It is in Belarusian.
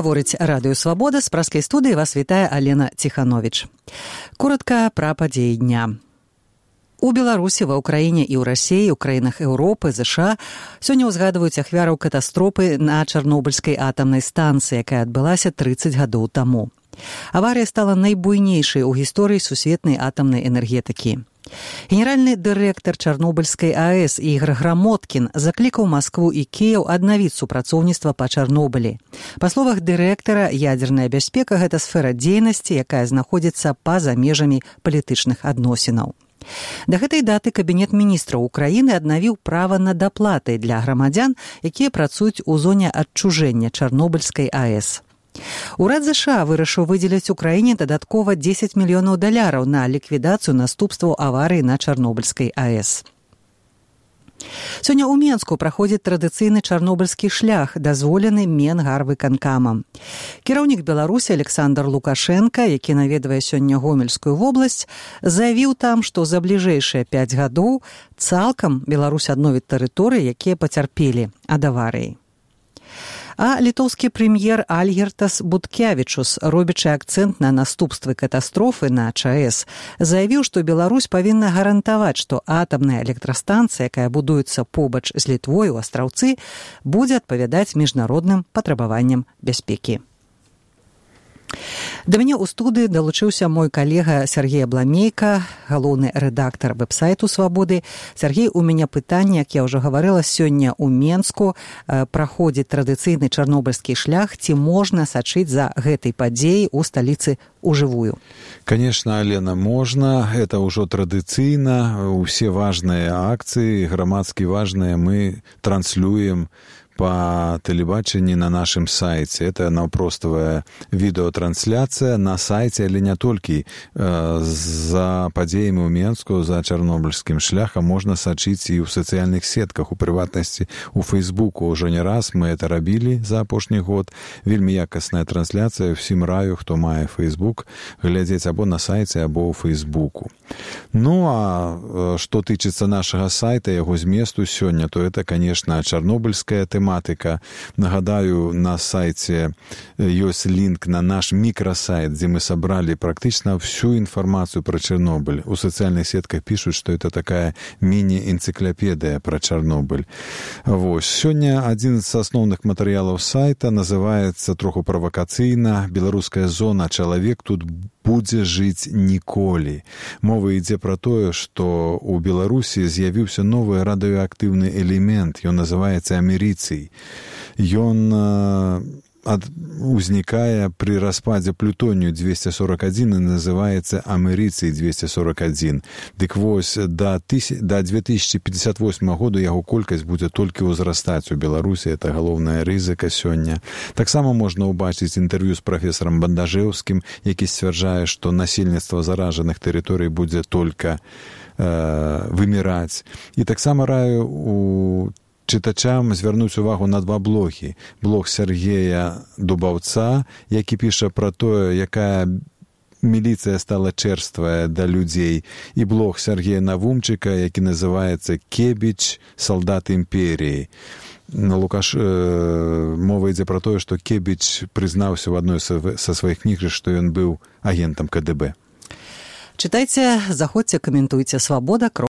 Гаворыць Радыё Свабода, з праскай студыі вас вітае Алена Ціхановіч. Коротка пра падзеі дня. У Беларусі, ва ўкраіне і ў Расіі, у краінах Еўропы, ЗША сёння ўзгадваюць ахвяраў катастрофы на Чарнобыльскай атамнай станцыі, якая адбылася 30 гадоў таму. Аварыя стала найбуйнейшай у гісторыі сусветнай атамнай энергетыкі. Генеральны дырэктар Чарнобыльскай АЭС Ігор Грамоткін заклікаў Маскву і Кіеў аднавіць супрацоўніцтва па Чарнобылі. Па словах дырэктара, ядзерная бяспека – гэта сфера дзейнасці, якая знаходзіцца па-за межамі палітычных адносінаў. Да гэтай даты Кабінет міністраў Украіны аднавіў права на даплаты для грамадзян, якія працуюць у зоне адчужэння Чарнобыльскай АЭС. Урад ЗША вырашыў выдзеліць Украіне дадаткова $10 мільёнаў на ліквідацыю наступстваў аварыі на Чарнобыльскай АЭС. Сёння ў Менску праходзіць традыцыйны чарнобыльскі шлях, дазволены Менгарвыканкамам. Кіраўнік Беларусі Александр Лукашенка, які наведвае сёння Гомельскую вобласць, заявіў там, што за бліжэйшыя 5 гадоў цалкам Беларусь адновіць тэрыторыі, якія пацярпелі ад аварыі. А літоўскі прэм'ер Альгертас Буткявічус, робячы акцэнт на наступствы катастрофы на ЧАЭС, заявіў, што Беларусь павінна гарантаваць, што атамная электрастанцыя, якая будуецца побач з Літвой у Астраўцы, будзе адпавядаць міжнародным патрабаванням бяспекі. Да мяне ў студыі далучыўся мой калега Сергей Абламейка, галоўны рэдактар вэб-сайту «Свабоды». Сергей, у мяне пытанне, як я ўжо гаварыла, сёння ў Менску праходзіць традыцыйны чарнобыльскі шлях. Ці можна сачыць за гэтай падзеяй у сталіцы ўжывую? Конечно, Алена, можно. Это ўжо традыцыйна. Усе важныя акцыі, грамадскі важныя, мы транслюем по телебачению на нашем сайте. Это наўпростовая відеотрансляция на сайте, але не толькі за падзеямі ў Менску, за чарнобыльскім шляхам можна сачыць і ў сацыяльных сетках, у прыватнасці у Фейсбуку. Уже не раз мы это рабілі за апошні год. Вельмі якасная трансляцыя. Всім раю, хто мае Фейсбук, глядзець або на сайце, або ў Фейсбуку. Ну, а што тычыцца нашага сайта, яго зместу сёння, то это, конечно, чарнобыльская тэматыка. Нагадаю, на сайте есть линк на наш микросайт, где мы собрали практически всю информацию про Чернобыль. У социальных сетках пишут, что это такая мини-энциклопедия про Чернобыль. Вот. Сегодня один из основных материалов сайта называется, троху провокацыйна, «Беларуская зона. Чалавек тут будзе жыць ніколі». Мова ідзе пра тое, што ў Беларусі з'явіўся новы радыеактыўны элемент, ён называецца амерыцый. Ён узнікае пры распадзе плутонію-241 і называецца амерыцый-241. Дык вось, да 2058 году яго колькасць будзе толькі ўзрастаць у Беларусі. Это галоўная рызыка сёння. Таксама можна ўбачыць інтэрв'ю з прафесарам Бандажэўскім, які сцвярджае, што насельніцтва заражаных тэрыторый будзе толькі выміраць. І таксама раю у чытачам звярнуць увагу на два блогі. Блог Сергея Дубаўца, які піша пра тое, якая міліцыя стала чэрствая да людзей, і блог Сергея Навумчыка, які называецца «Кебіч. Салдат імперіі». Мова ідзе пра тое, што Кебіч прызнаўся ў адной са сваіх кніг, што ён быў агентам КДБ. Чытайце, заходзьце, каментуйце. Свабода.